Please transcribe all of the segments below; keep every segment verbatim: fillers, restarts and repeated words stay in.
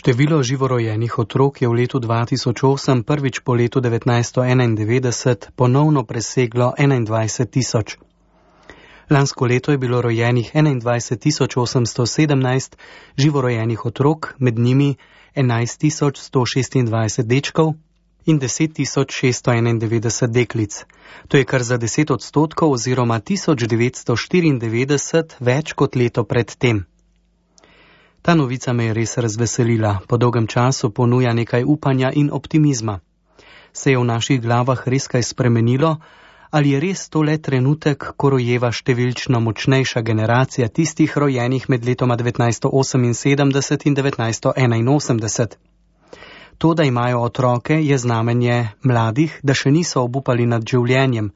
Število živorojenih otrok je v letu dva tisoč osem prvič po letu devetnajststo enaindevetdeset ponovno preseglo enaindvajset tisoč. Lansko leto je bilo rojenih enaindvajset tisoč osemsto sedemnajst živorojenih otrok, med njimi enajst tisoč sto šestindvajset dečkov in deset tisoč šeststo enaindevetdeset deklic. To je kar za deset odstotkov oziroma tisoč devetsto štiriindevetdeset več kot leto pred tem. Ta novica me je res razveselila, po dolgem času ponuja nekaj upanja in optimizma. Se je v naših glavah res kaj spremenilo, ali je res to le trenutek, ko rojeva številčno močnejša generacija tistih rojenih med letoma devetnajststo oseminsedemdeset in devetnajststo enainosemdeset? To, da imajo otroke, je znamenje mladih, da še niso obupali nad življenjem,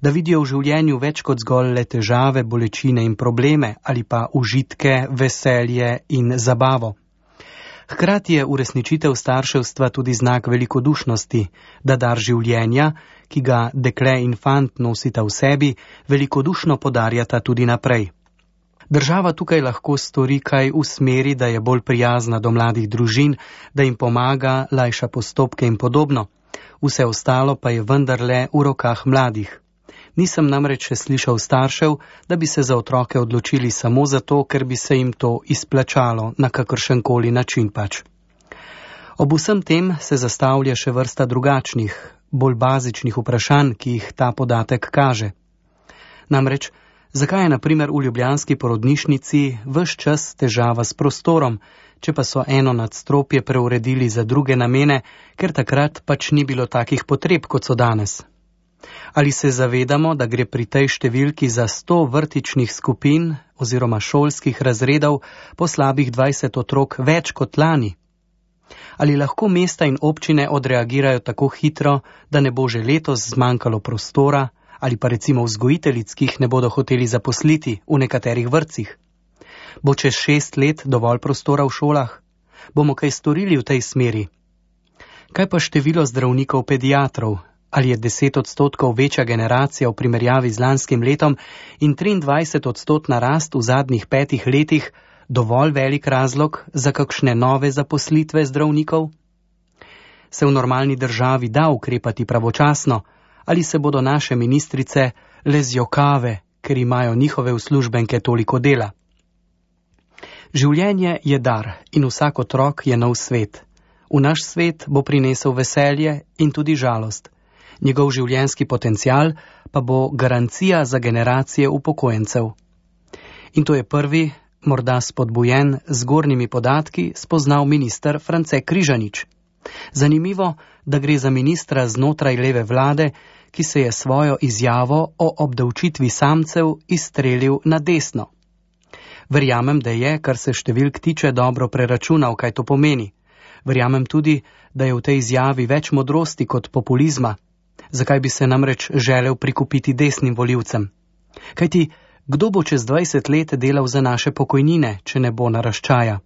da vidijo v življenju več kot zgolj le težave, bolečine in probleme ali pa užitke, veselje in zabavo. Hkrati je uresničitev starševstva tudi znak velikodušnosti, da dar življenja, ki ga dekle in fant nosita v sebi, velikodušno podarjata tudi naprej. Država tukaj lahko stori kaj v smeri, da je bolj prijazna do mladih družin, da jim pomaga, lajša postopke in podobno. Vse ostalo pa je vendarle v rokah mladih. Nisem namreč še slišal staršev, da bi se za otroke odločili samo zato, ker bi se jim to izplačalo na kakršenkoli način pač. Ob vsem tem se zastavlja še vrsta drugačnih, bolj bazičnih vprašanj, ki jih ta podatek kaže. Namreč, zakaj je na primer v ljubljanski porodnišnici ves čas težava s prostorom, če pa so eno nadstropje preuredili za druge namene, ker takrat pač ni bilo takih potreb, kot so danes? Ali se zavedamo, da gre pri tej številki za sto vrtičnih skupin oziroma šolskih razredov po slabih dvajset otrok več kot lani? Ali lahko mesta in občine odreagirajo tako hitro, da ne bo že letos zmanjkalo prostora, ali pa recimo vzgojiteljic, ki jih ne bodo hoteli zaposliti v nekaterih vrtcih? Bo čez šest let dovolj prostora v šolah? Bomo kaj storili v tej smeri? Kaj pa število zdravnikov pediatrov? Ali je deset odstotkov večja generacija v primerjavi z lanskim letom in triindvajset odstotna rast v zadnjih petih letih dovolj velik razlog za kakšne nove zaposlitve zdravnikov? Se v normalni državi da ukrepati pravočasno? Ali se bodo naše ministrice le zjokave, ker imajo njihove uslužbenke toliko dela? Življenje je dar in vsak otrok je nov svet. V naš svet bo prinesel veselje in tudi žalost. Njegov življenjski potencial pa bo garancija za generacije upokojencev. In to je prvi, morda spodbujen z zgornjimi podatki, spoznal minister France Križanič. Zanimivo, da gre za ministra znotraj leve vlade, ki se je svojo izjavo o obdavčitvi samcev izstrelil na desno. Verjamem, da je, kar se številk tiče, dobro preračunal, kaj to pomeni. Verjamem tudi, da je v tej izjavi več modrosti kot populizma. Zakaj bi se namreč želel prikupiti desnim volivcem? Kajti, kdo bo čez dvajset let delal za naše pokojnine, če ne bo naraščaja?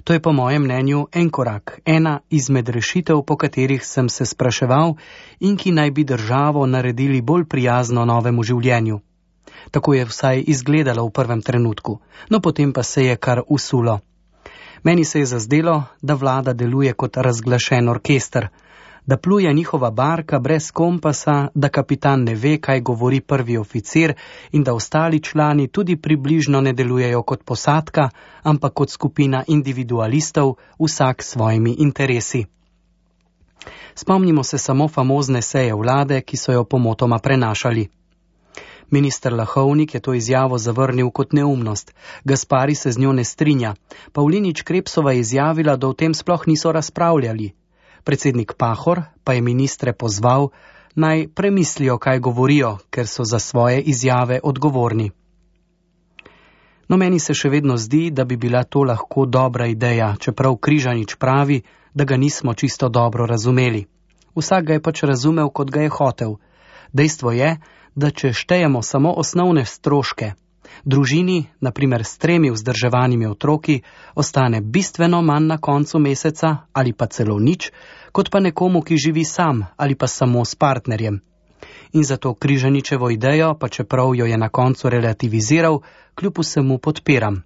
To je po mojem mnenju en korak, ena izmed rešitev, po katerih sem se spraševal in ki naj bi državo naredili bolj prijazno novemu življenju. Tako je vsaj izgledalo v prvem trenutku, no potem pa se je kar usulo. Meni se je zazdelo, da vlada deluje kot razglašen orkester, da pluje njihova barka brez kompasa, da kapitan ne ve, kaj govori prvi oficir in da ostali člani tudi približno ne delujejo kot posadka, ampak kot skupina individualistov, vsak s svojimi interesi. Spomnimo se samo famozne seje vlade, ki so jo pomotoma prenašali. Minister Lahovnik je to izjavo zavrnil kot neumnost, Gaspari se z njo ne strinja, Pavlinič Krepsova je izjavila, da o tem sploh niso razpravljali. Predsednik Pahor pa je ministre pozval, naj premislijo, kaj govorijo, ker so za svoje izjave odgovorni. No, meni se še vedno zdi, da bi bila to lahko dobra ideja, čeprav Križanič pravi, da ga nismo čisto dobro razumeli. Vsak ga je pač razumel, kot ga je hotel. Dejstvo je, da če štejemo samo osnovne stroške, družini, na primer s tremi vzdrževanimi otroki, ostane bistveno manj na koncu meseca ali pa celo nič, kot pa nekomu, ki živi sam ali pa samo s partnerjem. In zato Križaničevo idejo, pa čeprav jo je na koncu relativiziral, kljub vsemu podpiram.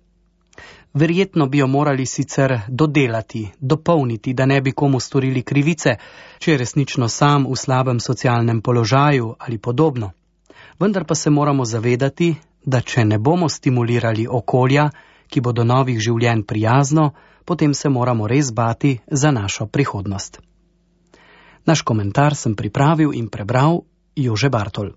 Verjetno bi jo morali sicer dodelati, dopolniti, da ne bi komu storili krivice, če je resnično sam v slabem socialnem položaju ali podobno. Vendar pa se moramo zavedati, da če ne bomo stimulirali okolja, ki bo do novih življenj prijazno, potem se moramo res bati za našo prihodnost. Naš komentar sem pripravil in prebral Jože Bartol.